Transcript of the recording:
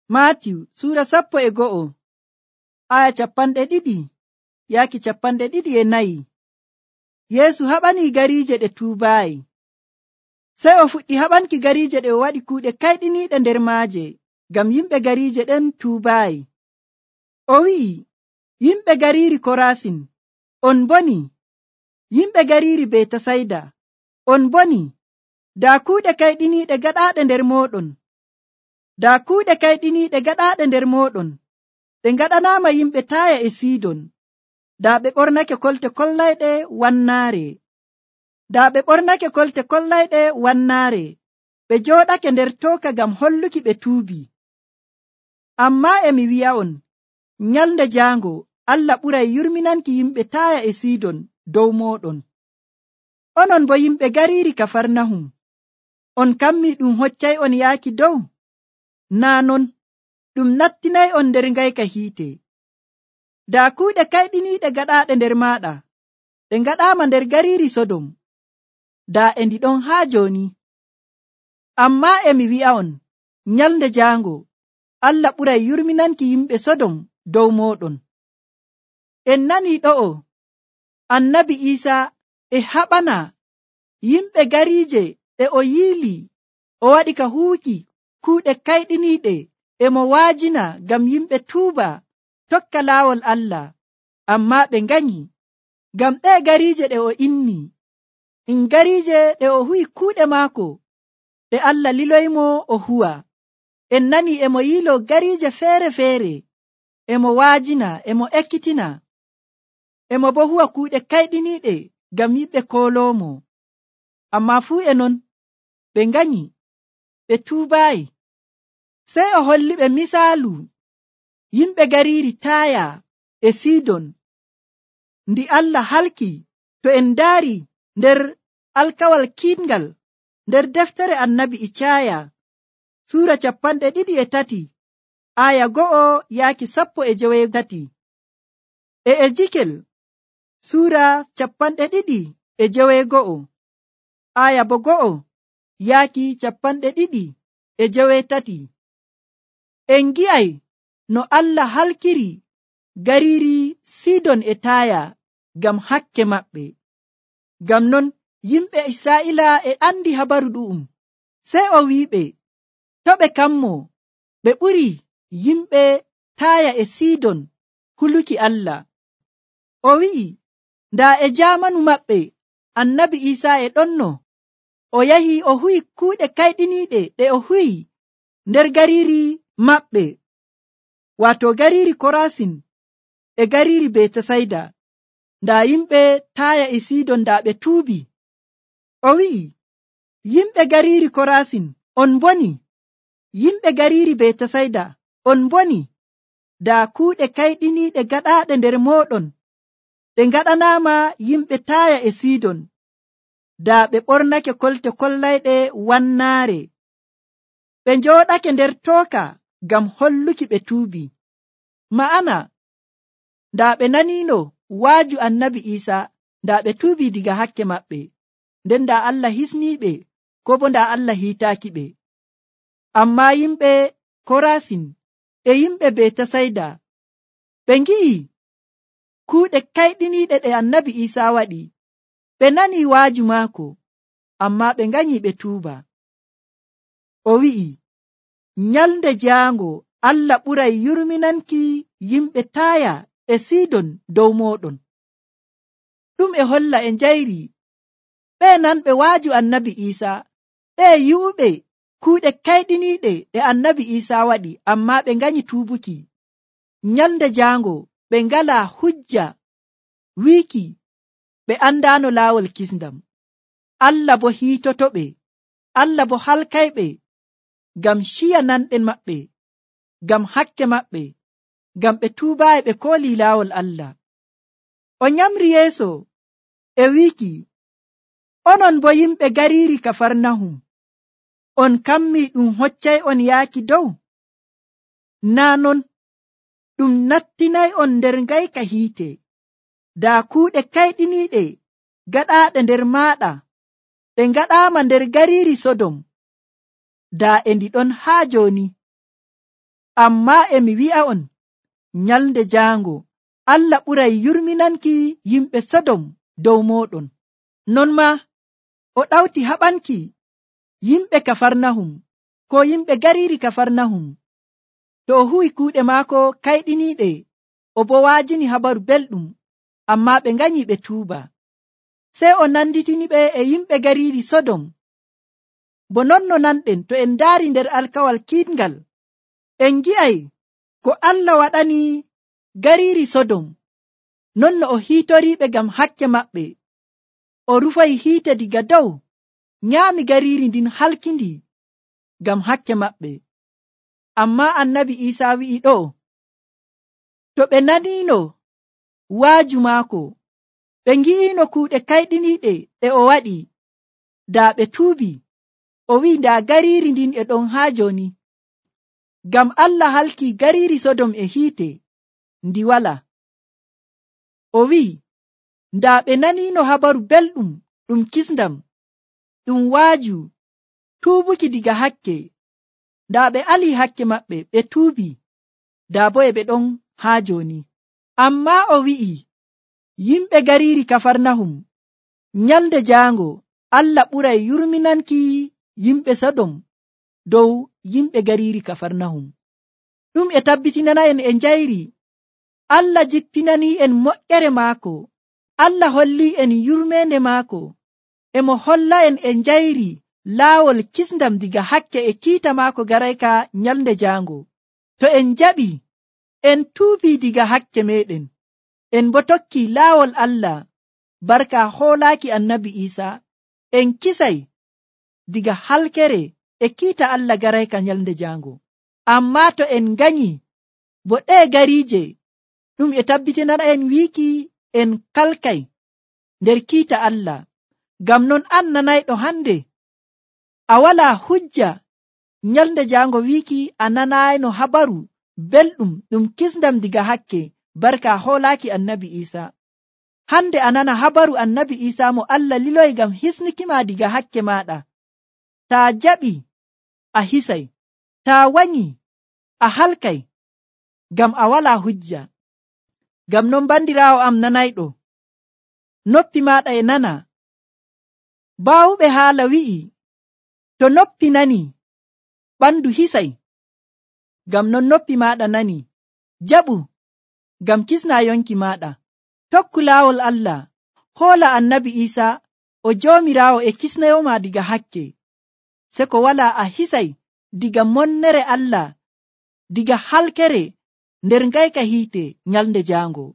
Maatiyu sura 11 aya 200 yaaki 224. Yeesu haɓani gariije ɗe tuubaayi. Sey o fuɗɗi haɓanki gariije ɗe o waɗi kuuɗe kayɗiniiɗe nder maaje ngam yimɓe gariije ɗen tuubaayi. O wi'i, yimɓe gariiri Korasin, on boni. Yimɓe gariiri Betasayda, on boni. Daa kuuɗe kayɗiniiɗe gaɗaaɗe nder mooɗon. Daa kuuɗe kayɗiniiɗe gaɗaaɗe nder mooɗon ɗe ngaɗanaama yimɓe Taaya e Sidon, daa ɓe ɓornake kolte kollayɗe wannaare. Daa ɓe ɓornake kolte kollayɗe wannaare, ɓe jooɗake nder tooka ngam holluki ɓe tuubi. Ammaa e mi wi'a'on, nyalnde jaango Allah ɓuray yurminanki yimɓe Taaya e Sidon dow mooɗon. Onon bo yimɓe gariiri Kafarnahum, on kammii ɗum hoccay'on yaaki dow? Naa non, ɗum nattinay'on nder ngayka hiite. Daa kuuɗe kayɗiniiɗe gaɗaaɗe nder maaɗa ɗe ngaɗaama nder gariiri Sodom, daa e ndi ɗon haa jooni. Ammaa e mi wi'a'on, nyalnde jaango Allah ɓuray yurminanki yimɓe Sodom dow mooɗon. En nanii ɗo'o Annabi Iisaa e haɓana yimɓe gariije ɗe o yiili o waɗi ka huuki kuuɗe kayɗiniiɗe e mo waajina ngam yimɓe tuuba tokka laawol Allah, ammaa ɓe nganyi. Ngam ɗee gariije ɗe o inni, gariije ɗe o huwi kuuɗe maako ɗe Allah liloymo o huwa. En nanii e mo yiilo gariije feere-feere, e mo waajina, e mo ekkitina, e mo bo huwa kuuɗe kayɗiniiɗe ngam yimɓe kooloomo. Ammaa fuu e non ɓe nganyi, ɓe tuubaayi. Sey o holli ɓe misaalu yimɓe gariiri Taaya e Sidon ndi Allah halki to en ndaari nder alkawal kiiɗngal nder deftere Annabi Icaaya sura 23 aya 1 yaaki 13, e Ejikel sura 21 aya 1 yaaki 23. En gi'ay no Allah halkiri gariiri Sidon e Taaya ngam hakke maɓɓe. Ngam non yimɓe Israa'ila e andi habaru ɗu'um. Sey o wi'iɓe to' ɓe kammo, ɓe ɓuri yimɓe Taaya e Sidon huluki Allah. O wi'i ndaa e jaamanu maɓɓe Annabi Iisaa e ɗonno o yahi o huwi kuuɗe kayɗiniiɗe ɗe o huwi nder gariiri maɓɓe, waato gariiri Korasin e gariiri Betasayda. Ndaa yimɓe Taaya e Sidon ndaa ɓe tuubi. O wi'i, yimɓe gariiri Korasin, on boni. Yimɓe gariiri Betasayda, on boni. Daa kuuɗe kayɗiniiɗe gaɗaaɗe nder mooɗon ɗe ngaɗanaama yimɓe Taaya e Sidon, daa ɓe ɓornake kolte kollayɗe wannaare, ɓe njooɗake nder tooka ngam holluki ɓe tuubi. Ma'ana, ndaa ɓe naniino waaju Annabi Iisaa, ndaa ɓe tuubi diga hakke maɓɓe, nden ndaa Allah hisniiɓe, ko bo ndaa Allah hiitaaki ɓe. Ammaa yimɓe Korasin e yimɓe Betasayda ɓe ngi'i kuuɗe kayɗiniiɗe ɗe Annabi Iisaa waɗi, ɓe nanii waaju maako, ammaa ɓe nganyi ɓe tuuba. O wi'i, nyalnde jaango Allah ɓuray yurminanki yimɓe Taaya e Sidon dow mooɗon. Ɗum e holla e njayri ɓe nanɓe waaju Annabi Iisaa, ɓe yi'uɓe kuuɗe kayɗiniiɗe ɗe Annabi Iisaa waɗi, ammaa ɓe nganyi tuubuki. Nyalnde jaango ɓe ngalaa hujja wiiki ɓe andaano laawol kisndam. Allah bo hiitotoɓe, Allah bo halkayɓe ngam ciya nanɗen maɓɓe, ngam hakke maɓɓe, ngam ɓe tuubaayi ɓe koolii laawol Allah. O nyamri yeeso e wiiki, onon bo yimɓe gariiri Kafarnahum, on kammii ɗum hoccay'on yaaki dow? Naa non, ɗum nattinay'on nder ngayka hiite. Daa kuuɗe kayɗiniiɗe gaɗaaɗe nder maaɗa ɗe ngaɗaama nder gariiri Sodom, daa e ndi ɗon haa jooni. Ammaa emi wi'a'on nyalnde jaango Allah ɓuray yurminanki yimɓe Sodom dow mooɗon. Non maa o ɗawti haɓanki yimɓe Kafarnahum ko yimɓe gariiri Kafarnahum to o huwi kuuɗe maako kayɗiniiɗe, o bo waajini habaru belɗum, ammaa ɓe nganyi ɓe tuuba. Sey o nanditiniɓe e yimɓe gariiri Sodom. Bo non no nanɗen to en ndaari nder alkawal kiitngal, en ngi'ay ko Allah waɗani gariiri Sodom, non no o hiitoriiɓe ngam hakke maɓɓe. O rufay hiite diga dow, nyaami gariiri ndin halkindi ngam hakke maɓɓe. Ammaa annabi Iisaa wi'i ɗo, to ɓe naniino waaju maako, ɓe ngi'iino kuuɗe kayɗiniiɗe ɗe o waɗi, daa ɓe tuubi. O wi'i ndaa gariiri ndin e ɗon haa jooni, ngam Allah halki gariiri Sodom e hiite ndi walaa. O wi'i ndaa ɓe naniino habaru belɗum ɗum kisndam, ɗum waaju tuubuki diga hakke, ndaa ɓe alii hakke maɓɓe ɓe tuubi, daa bo e ɓe ɗon haa jooni. Ammaa o wi'i yimɓe gariiri Kafarnahum, nyalnde jaango Allah ɓuray yurminanki yimɓe Sodom dow yimɓe gariiri Kafarnahum. Ɗum e tabbitinana en e njayri Allah jippinanii en moƴƴere maako. Allah hollii en yurmeende maako, e mo holla en e njayri laawol kisndam diga hakke e kiita maako garayka nyalnde jaango. To en jaɓi, en tuubii diga hakke meɗen, en bo tokki laawol Allah barka hoolaaki annabi Iisaa, en kisay diga halkere e kiita Allah garayka nyalnde jaango. Ammaa to en nganyi bo ɗee gariije, ɗum e tabbitinana en wiiki en kalkay nder kiita Allah. Ngam non an nanayɗo hande, a walaa hujja nyalnde jaango wiiki a nanayno habaru belɗum ɗum kisndam diga hakke barka hoolaaki annabi Iisaa. Hande a nana habaru annabi Iisaa mo Allah liloyi ngam hisnukima diga hakke maɗa. Taa jaɓi a hisay, taa wanyi a halkay, ngam a walaa hujja. Ngam non bandiraawo am nanayɗo, noppi maɗa e nana. Baawuɓe haala wi'i to noppi nani, ɓandu hisay. Ngam non noppi maɗa nani, jaɓu ngam kisna yonki maɗa. Tokku laawol Allah, hoola annabi Iisaa o joomiraawo e kisnayoma diga hakke, se ko wala a hisay diga monnere Allah, diga halkere nder ngayka hiite nyalnde jaango.